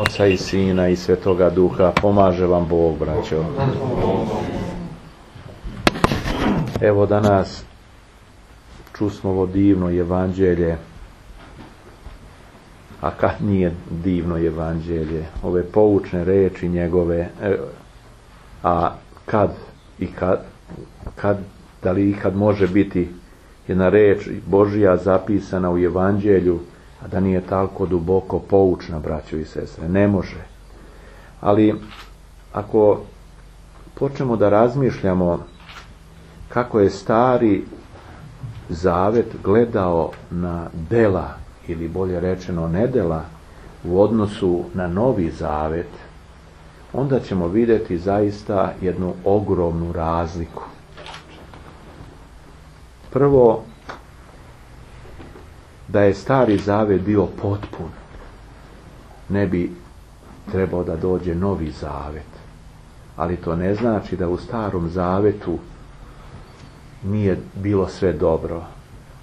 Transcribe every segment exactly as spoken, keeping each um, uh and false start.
Oca i Sina i Svetoga Duha. Pomaže vam Bog, braćo. Evo danas čusmo ovo divno evanđelje. A kad nije divno evanđelje? Ove poučne reči njegove. A kad i kad, kad da li ikad može biti jedna reč Božja zapisana u evanđelju, a da nije tako duboko poučna, braćo i sestre? Ne može. Ali ako počnemo da razmišljamo kako je Stari Zavet gledao na dela, ili bolje rečeno nedela, u odnosu na Novi Zavet, onda ćemo vidjeti zaista jednu ogromnu razliku. Prvo, da je Stari Zavet bio potpun, ne bi trebao da dođe Novi Zavet. Ali to ne znači da u Starom Zavetu nije bilo sve dobro.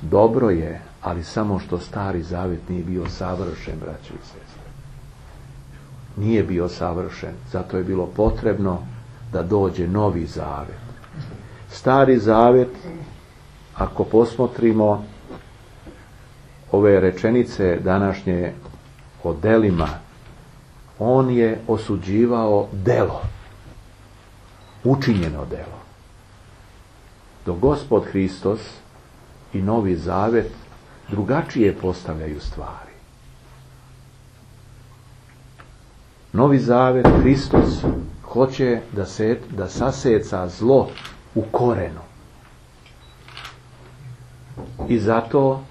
Dobro je, ali samo što Stari Zavet nije bio savršen, braćo i sestre. Nije bio savršen, zato je bilo potrebno da dođe Novi Zavet. Stari Zavet, ako posmotrimo ove rečenice današnje o delima, on je osuđivao delo, učinjeno delo. Dok Gospod Hristos i Novi Zavet drugačije postavljaju stvari. Novi Zavet, Hristos hoće da, se, da saseca zlo u korenu. I zato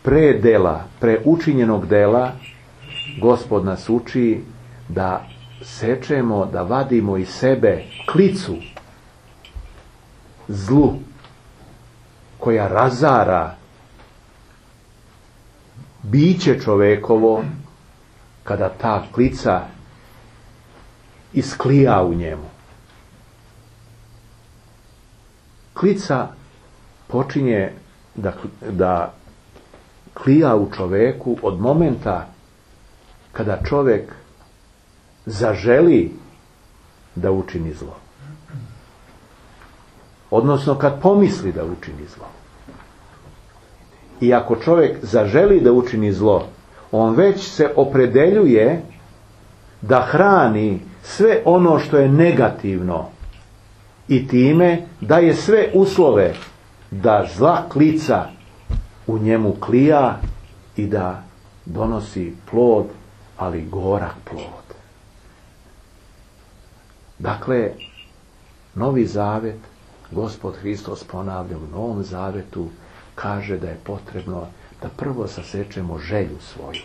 pre dela, pre učinjenog dela, Gospod nas uči da sečemo, da vadimo iz sebe klicu zlu koja razara biće čovekovo, kada ta klica isklija u njemu. Klica počinje da, da klija u čoveku od momenta kada čovjek zaželi da učini zlo. Odnosno kad pomisli da učini zlo. I ako čovjek zaželi da učini zlo, on već se opredeljuje da hrani sve ono što je negativno i time daje sve uslove da zla klica u njemu klija i da donosi plod, ali gorak plod. Dakle, Novi Zavet, Gospod Hristos ponavlja u Novom Zavetu, kaže da je potrebno da prvo sasečemo želju svoju,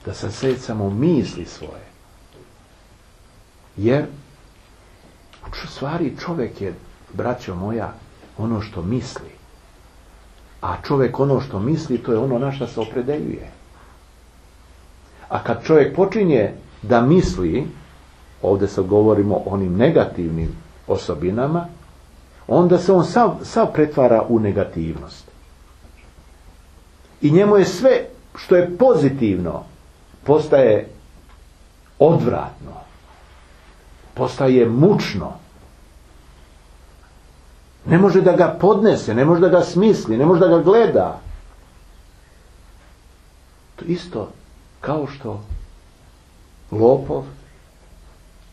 da sasecamo misli svoje. Jer u stvari čovjek je, braćo moja, ono što misli. A čovjek ono što misli, to je ono na što se opredeljuje. A kad čovjek počinje da misli, ovdje se govorimo o onim negativnim osobinama, onda se on sav, sav pretvara u negativnost. I njemu je sve što je pozitivno postaje odvratno, postaje mučno. Ne može da ga podnese, ne može da ga smisli, ne može da ga gleda. To isto kao što lopov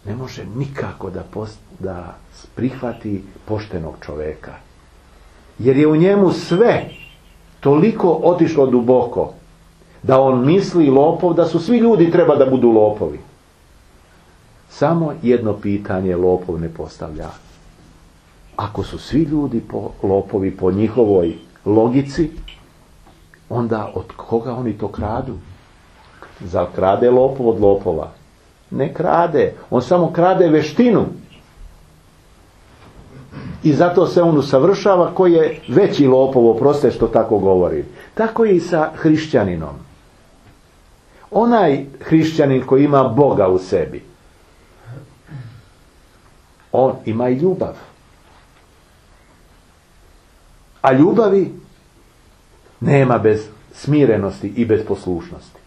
ne može nikako da, post, da prihvati poštenog čoveka. Jer je u njemu sve toliko otišlo duboko da on misli, lopov, da su svi ljudi treba da budu lopovi. Samo jedno pitanje lopov ne postavlja. Ako su svi ljudi po, lopovi po njihovoj logici, onda od koga oni to kradu? Zar krade lopov od lopova? Ne krade. On samo krade veštinu. I zato se on usavršava koji je veći lopov, oprostite što tako govori. Tako je i sa hrišćaninom. Onaj hrišćanin koji ima Boga u sebi, on ima i ljubav. A ljubavi nema bez smirenosti i bez poslušnosti.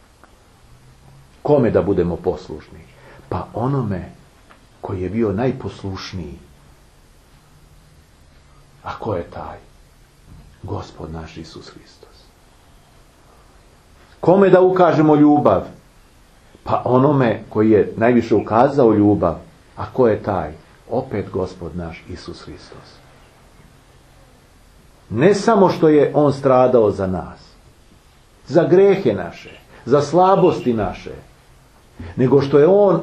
Kome da budemo poslušni? Pa onome koji je bio najposlušniji. A ko je taj? Gospod naš Isus Hristos. Kome da ukažemo ljubav? Pa onome koji je najviše ukazao ljubav. A ko je taj? Opet Gospod naš Isus Hristos. Ne samo što je on stradao za nas, za grehe naše, za slabosti naše, nego što je on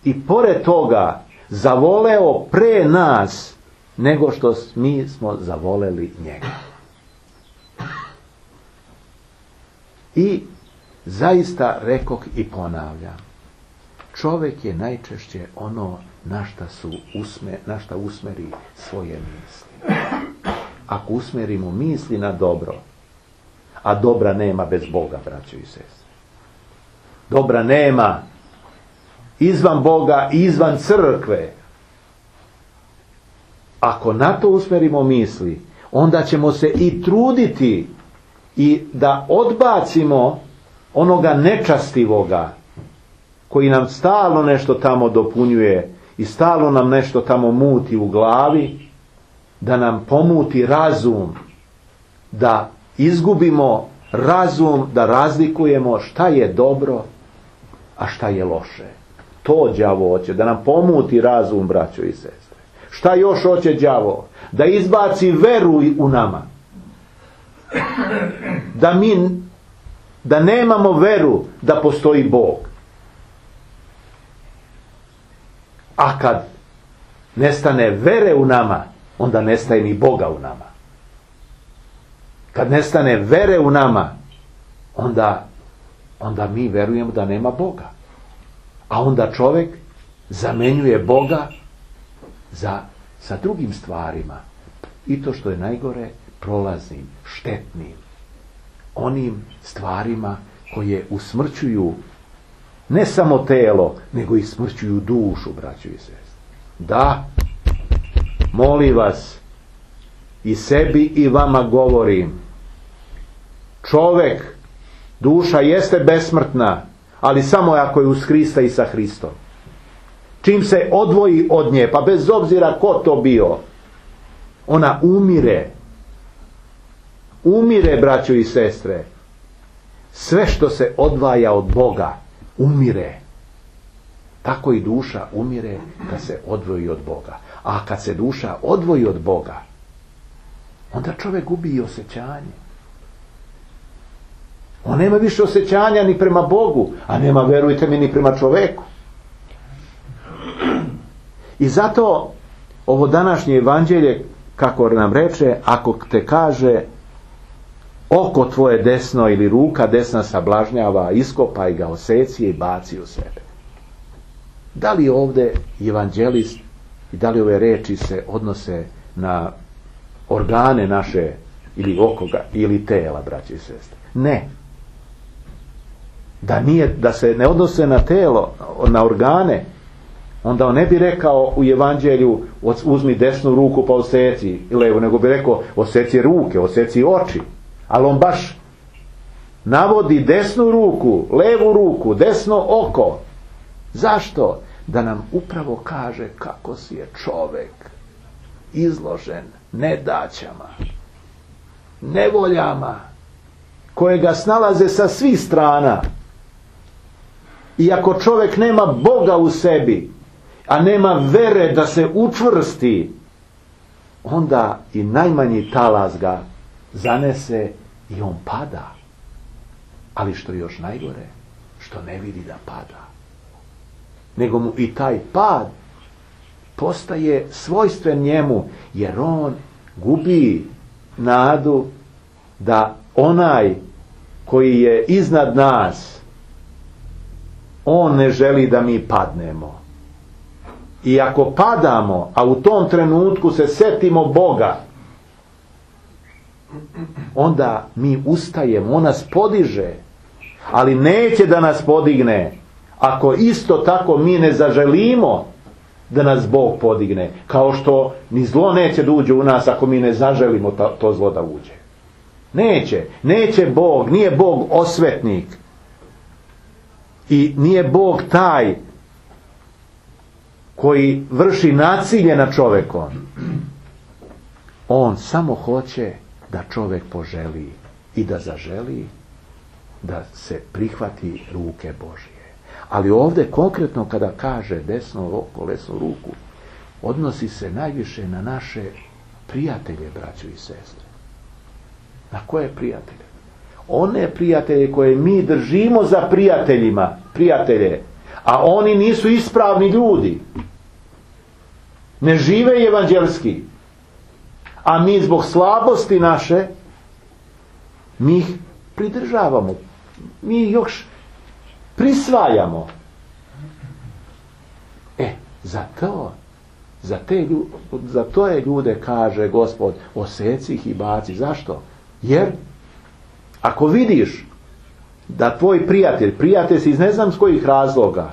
i pored toga zavoleo pre nas nego što mi smo zavoleli njega. I zaista rekoh i ponavljam, čovjek je najčešće ono na šta, su usme, na šta usmeri svoje misli. Ako usmerimo misli na dobro, a dobra nema bez Boga, braćo i sestre. Dobra nema izvan Boga i izvan crkve. Ako na to usmerimo misli, onda ćemo se i truditi i da odbacimo onoga nečastivoga koji nam stalno nešto tamo dopunjuje i stalno nam nešto tamo muti u glavi, da nam pomuti razum, da izgubimo razum, da razlikujemo šta je dobro, a šta je loše. To đavo hoće, da nam pomuti razum, braćo i sestre. Šta još hoće đavo? Da izbaci veru u nama. Da mi, da nemamo veru da postoji Bog. A kad nestane vere u nama, onda nestaje ni Boga u nama. Kad nestane vere u nama, onda, onda mi verujemo da nema Boga. A onda čovjek zamenjuje Boga za, sa drugim stvarima. I to što je najgore, prolaznim, štetnim. Onim stvarima koje usmrćuju ne samo telo, nego i smrćuju dušu, braćo i sestre. Da, molim vas, i sebi i vama govorim, čovjek, duša jeste besmrtna, ali samo ako je uz Hrista i sa Hristom. Čim se odvoji od nje, pa bez obzira ko to bio, ona umire. Umire, braćo i sestre. Sve što se odvaja od Boga, umire. Tako i duša umire kad se odvoji od Boga. A kad se duša odvoji od Boga, onda čovjek gubi i osjećanje. On nema više osjećanja ni prema Bogu, a nema, verujte mi, ni prema čovjeku. I zato ovo današnje evanđelje, kako nam reče, ako te kaže oko tvoje desno ili ruka desna sablažnjava, iskopaj ga, oseci i baci u sebe. Da li ovdje evanđelist i da li ove reči se odnose na organe naše ili okoga ili tela, braći i sestre? Ne. Da, nije, da se ne odnose na telo, na organe, onda on ne bi rekao u evanđelju uzmi desnu ruku pa oseci levu, nego bi rekao oseci ruke, oseci oči. Ali on baš navodi desnu ruku, levu ruku, desno oko. Zašto? Da nam upravo kaže kako si je čovjek izložen nedaćama, nevoljama, koje ga snalaze sa svih strana. I ako čovjek nema Boga u sebi, a nema vere da se učvrsti, onda i najmanji talas ga zanese i on pada. Ali što je još najgore, što ne vidi da pada. Nego mu i taj pad postaje svojstven njemu, jer on gubi nadu da onaj koji je iznad nas, on ne želi da mi padnemo. I ako padamo, a u tom trenutku se setimo Boga, onda mi ustajemo, on nas podiže, ali neće da nas podigne ako isto tako mi ne zaželimo da nas Bog podigne, kao što ni zlo neće da uđe u nas ako mi ne zaželimo to, to zlo da uđe. Neće, neće Bog, nije Bog osvetnik I nije Bog taj koji vrši nasilje nad čovjekom. On samo hoće da čovjek poželi i da zaželi da se prihvati ruke Božje. Ali ovdje konkretno kada kaže desno oko, lesnu ruku, odnosi se najviše na naše prijatelje, braćo i sestre. Na koje prijatelje? One prijatelje koje mi držimo za prijateljima, prijatelje, a oni nisu ispravni ljudi. Ne žive evanđelski. A mi zbog slabosti naše, mi ih pridržavamo. Mi ih još prisvajamo. E, za to, za te ljude, za to je ljude, kaže Gospod, oseci ih i baci. Zašto? Jer ako vidiš da tvoj prijatelj, prijatelj si iz ne znam s kojih razloga,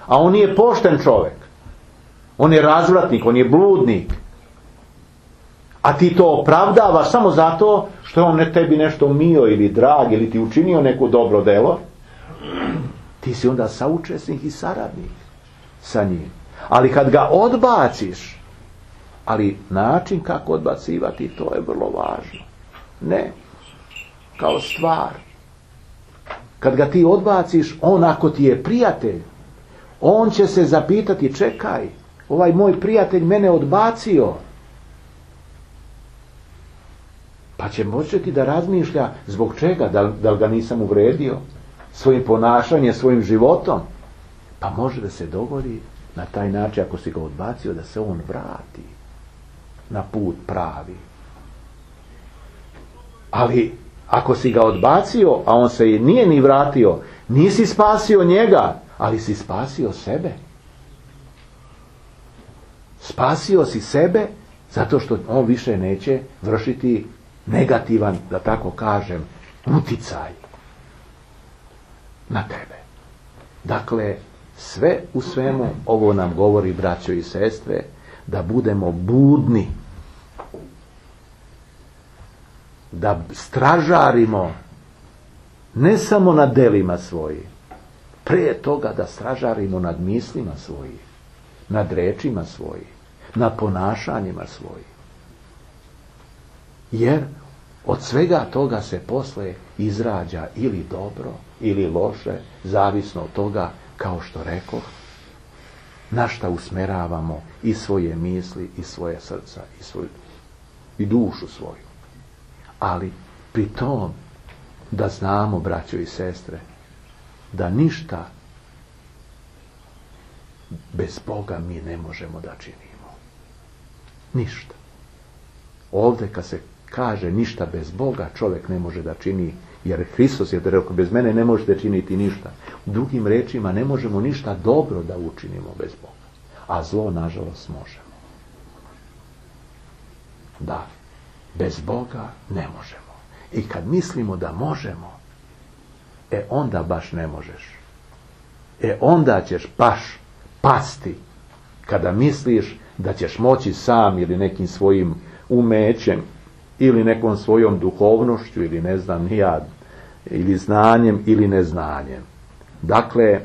a on nije pošten čovjek, on je razvratnik, on je bludnik, a ti to opravdavaš samo zato što je on ne tebi nešto mio ili drag ili ti učinio neko dobro delo, ti si onda saučesnik i saradnik sa njim. Ali kad ga odbaciš, ali način kako odbacivati, to je vrlo važno. Ne kao stvar. Kad ga ti odbaciš, on ako ti je prijatelj, on će se zapitati, čekaj, ovaj moj prijatelj mene odbacio. Pa će početi da razmišlja zbog čega, da, da li ga nisam uvredio svojim ponašanjem, svojim životom. Pa može da se dogodi na taj način, ako si ga odbacio, da se on vrati na put pravi. Ali ako si ga odbacio, a on se i nije ni vratio, nisi spasio njega, ali si spasio sebe. Spasio si sebe zato što on više neće vršiti negativan, da tako kažem, uticaj na tebe. Dakle, sve u svemu ovo nam govori, braćo i sestre, da budemo budni, da stražarimo ne samo nad delima svojih, prije toga da stražarimo nad mislima svojih, nad rečima svojih, nad ponašanjima svojih. Jer od svega toga se posle izrađa ili dobro ili loše, zavisno od toga, kao što rekoh, na šta usmeravamo i svoje misli i svoje srca i svoju i dušu svoju. Ali pri tom da znamo, braćo i sestre, da ništa bez Boga mi ne možemo da činimo. Ništa. Ovdje kad se kaže ništa bez Boga, čovjek ne može da čini, jer Hristos je rekao, bez mene ne možete činiti ništa. U drugim rečima, ne možemo ništa dobro da učinimo bez Boga. A zlo, nažalost, možemo. Da, bez Boga ne možemo. I kad mislimo da možemo, e onda baš ne možeš. E onda ćeš baš pasti kada misliš da ćeš moći sam ili nekim svojim umećem ili nekom svojom duhovnošću ili ne znam ni ja, ili znanjem ili neznanjem. Dakle,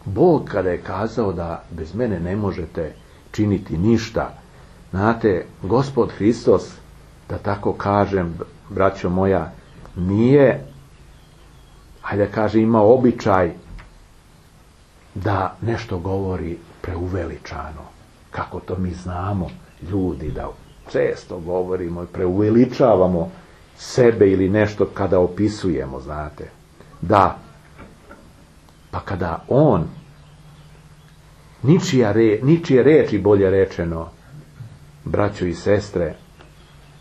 Bog kada je kazao da bez mene ne možete činiti ništa, znate, Gospod Hristos, da tako kažem, braćo moja, nije, hajde kaže, ima običaj da nešto govori preuveličano, kako to mi znamo, ljudi, da često govorimo i preuveličavamo sebe ili nešto kada opisujemo, znate. Da, pa kada on, ničija re, ničije reči, bolje rečeno, braćo i sestre,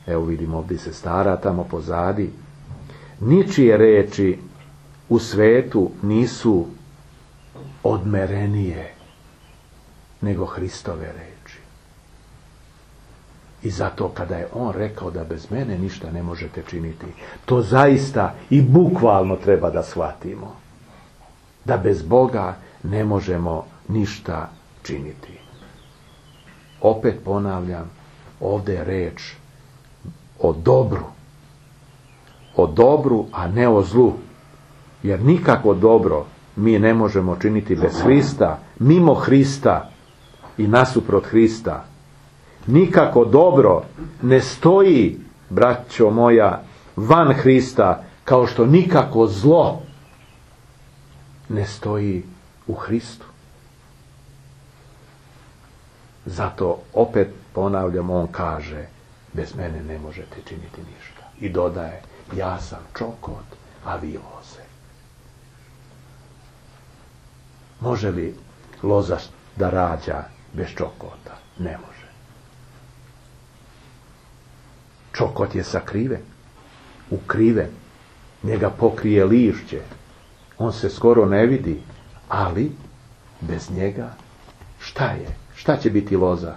evo vidimo ovdje se stara tamo pozadi, ničije reči u svetu nisu odmerenije nego Hristove reči. I zato kada je on rekao da bez mene ništa ne možete činiti, to zaista i bukvalno treba da shvatimo. Da bez Boga ne možemo ništa činiti. Opet ponavljam, ovdje je reč o dobru. O dobru, a ne o zlu. Jer nikako dobro mi ne možemo činiti bez Hrista, mimo Hrista i nasuprot Hrista. Nikako dobro ne stoji, braćo moja, van Hrista, kao što nikako zlo ne stoji u Hristu. Zato opet ponavljam, on kaže, bez mene ne možete činiti ništa. I dodaje, ja sam čokot, a vi loze. Može li loza da rađa bez čokota? Ne može. Čokot je sakriven, ukriven, njega pokrije lišće, on se skoro ne vidi, ali bez njega šta je? Šta će biti loza?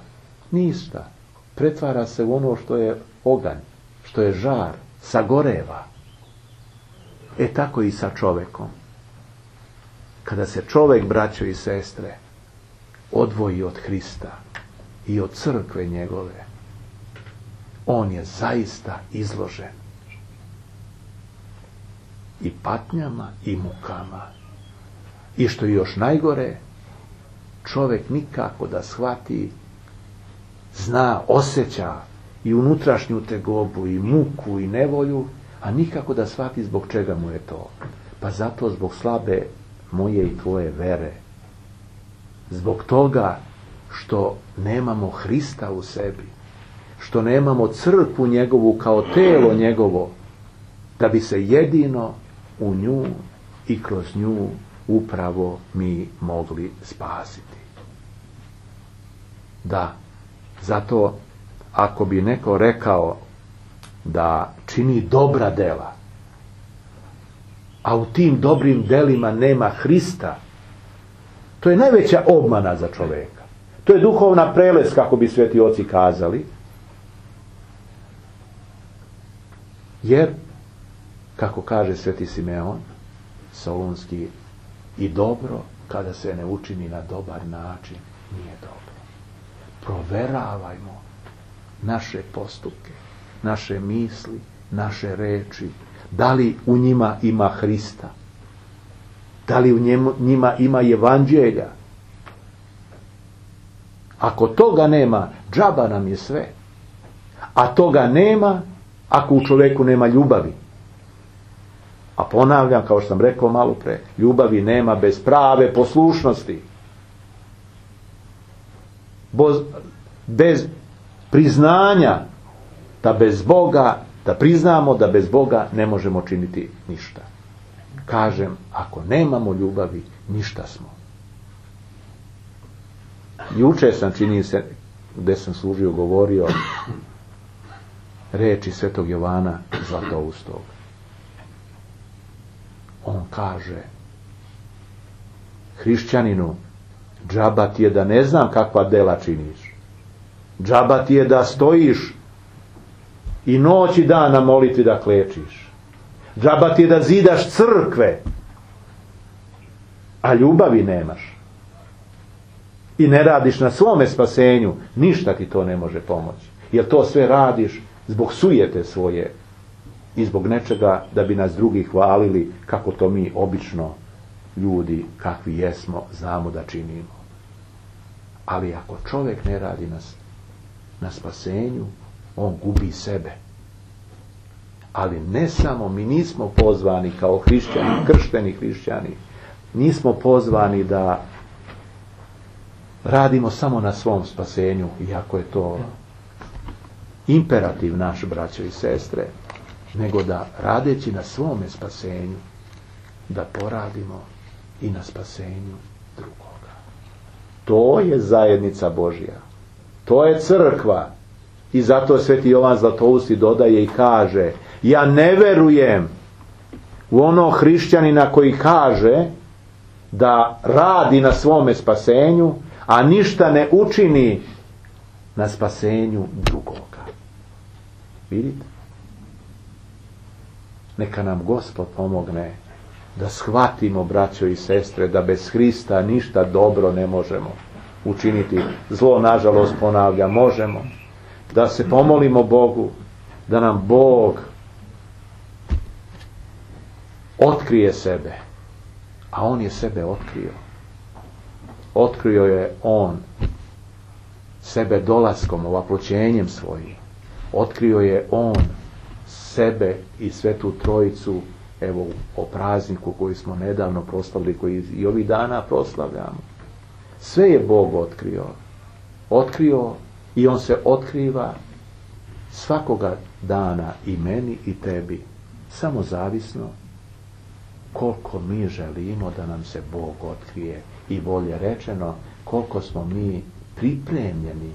Ništa. Pretvara se u ono što je oganj, što je žar, sagoreva. E tako i sa čovekom. Kada se čovek, braćo i sestre, odvoji od Hrista i od crkve njegove, on je zaista izložen i patnjama i mukama. I što je još najgore, čovjek nikako da shvati, zna, osjeća i unutrašnju tegobu i muku i nevolju, a nikako da shvati zbog čega mu je to. Pa zato zbog slabe moje i tvoje vere. Zbog toga što nemamo Hrista u sebi, što nemamo crkvu njegovu kao telo njegovo, da bi se jedino u nju i kroz nju upravo mi mogli spasiti. Da, zato ako bi neko rekao da čini dobra dela, a u tim dobrim delima nema Hrista, to je najveća obmana za čoveka. To je duhovna prelest, kako bi sveti oci kazali. Jer, kako kaže sveti Simeon Solunski, i dobro kada se ne učini na dobar način nije dobro. Proveravajmo naše postupke, naše misli, naše reči, da li u njima ima Hrista, da li u njemu, njima ima evanđelja. Ako toga nema, džaba nam je sve. A toga nema ako u čovjeku nema ljubavi. A ponavljam, kao što sam rekao malo pre, ljubavi nema bez prave poslušnosti. Boz, bez priznanja da bez Boga, da priznamo da bez Boga ne možemo činiti ništa. Kažem, ako nemamo ljubavi, ništa smo. Juče sam, čini se, gdje sam služio, govorio reči svetog Jovana Zlatoustog. On kaže, hrišćaninu, džaba ti je da ne znam kakva dela činiš. Džaba ti je da stojiš i noć i dan na molitvi da klečiš. Džaba ti je da zidaš crkve, a ljubavi nemaš. I ne radiš na svome spasenju, ništa ti to ne može pomoći. Jer to sve radiš zbog sujete svoje i zbog nečega da bi nas drugi hvalili kako to mi obično ljudi kakvi jesmo znamo da činimo. Ali ako čovjek ne radi na, na spasenju, on gubi sebe. Ali ne samo, mi nismo pozvani kao hrišćani, kršteni hrišćani, nismo pozvani da radimo samo na svom spasenju, iako je to imperativ naš, braćo i sestre, nego da radeći na svome spasenju, da poradimo i na spasenju drugoga. To je zajednica Božja. To je crkva. I zato sveti Jovan Zlatousti dodaje i kaže, ja ne verujem u ono hrišćanina koji kaže da radi na svome spasenju, a ništa ne učini na spasenju drugoga. Vidite? Neka nam Gospod pomogne da shvatimo, braćo i sestre, da bez Hrista ništa dobro ne možemo učiniti. Zlo, nažalost, ponavlja, možemo. Da se pomolimo Bogu, da nam Bog otkrije sebe, a on je sebe otkrio. Otkrio je on sebe dolaskom, ovaploćenjem svojim. Otkrio je on sebe i Svetu Trojicu, evo o prazniku koji smo nedavno proslavili, koji i ovih dana proslavljamo. Sve je Bog otkrio. Otkrio i on se otkriva svakoga dana i meni i tebi. Samo zavisno koliko mi želimo da nam se Bog otkrije, i bolje rečeno koliko smo mi pripremljeni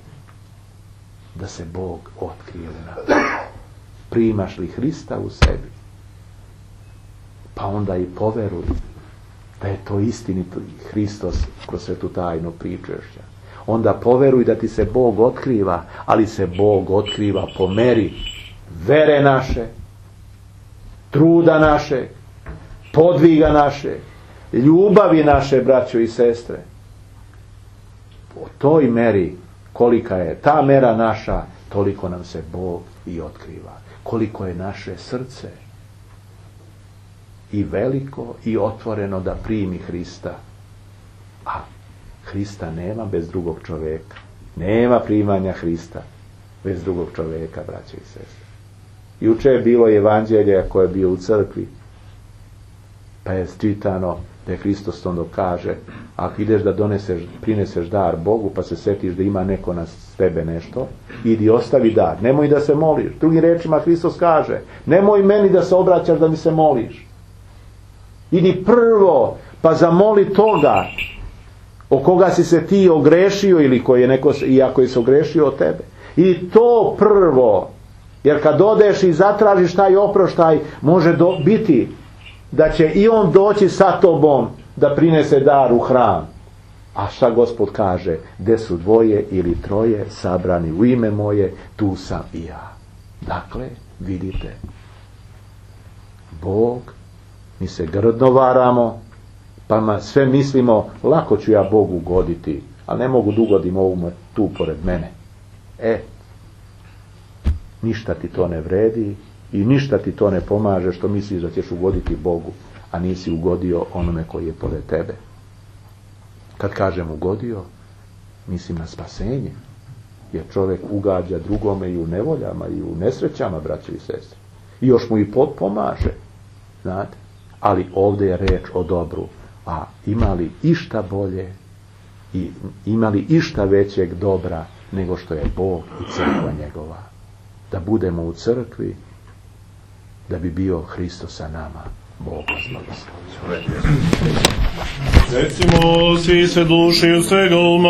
da se Bog otkrije u nas. Primaš li Hrista u sebi, pa onda i poveruj da je to istinito Hristos kroz svetu tajnu pričešća. Onda poveruj da ti se Bog otkriva, ali se Bog otkriva po meri vere naše, truda naše, podviga naše, ljubavi naše, braćo i sestre. Po toj meri, kolika je ta mera naša, toliko nam se Bog i otkriva. Koliko je naše srce i veliko i otvoreno da primi Hrista. A Hrista nema bez drugog čovjeka. Nema primanja Hrista bez drugog čovjeka, braće i sestre. Juče je bilo evanđelje koje je bio u crkvi, pa je čitano da je Hristos onda kaže, ako ideš da doneseš, prineseš dar Bogu, pa se setiš da ima neko na tebe nešto, idi ostavi dar, nemoj da se moliš. Drugim rečima Hristos kaže, nemoj meni da se obraćaš da mi se moliš. Idi prvo, pa zamoli toga o koga si se ti ogrešio, ili koji je neko, i ako je se ogrešio od tebe. I to prvo, jer kad odeš i zatražiš taj oproštaj, može do, biti da će i on doći sa tobom da prinese dar u hram. A šta Gospod kaže? Gde su dvoje ili troje sabrani u ime moje, tu sam i ja. Dakle, vidite, Bog, mi se grdno varamo, pa sve mislimo, lako ću ja Bogu ugoditi, ali ne mogu da ugodim ovu tu pored mene. E, ništa ti to ne vredi i ništa ti to ne pomaže što misliš da ćeš ugoditi Bogu, a nisi ugodio onome koji je pored tebe. Kad kažem ugodio, mislim na spasenje, jer čovjek ugađa drugome i u nevoljama i u nesrećama, braće i sestre. I još mu i pomaže, znate. Ali ovdje je reč o dobru. A imali išta bolje i imali išta većeg dobra nego što je Bog i crkva njegova. Da budemo u crkvi, da bi bio Hristos sa nama. Bog vas blagoslovi. Recimo, svi se duši u svega uma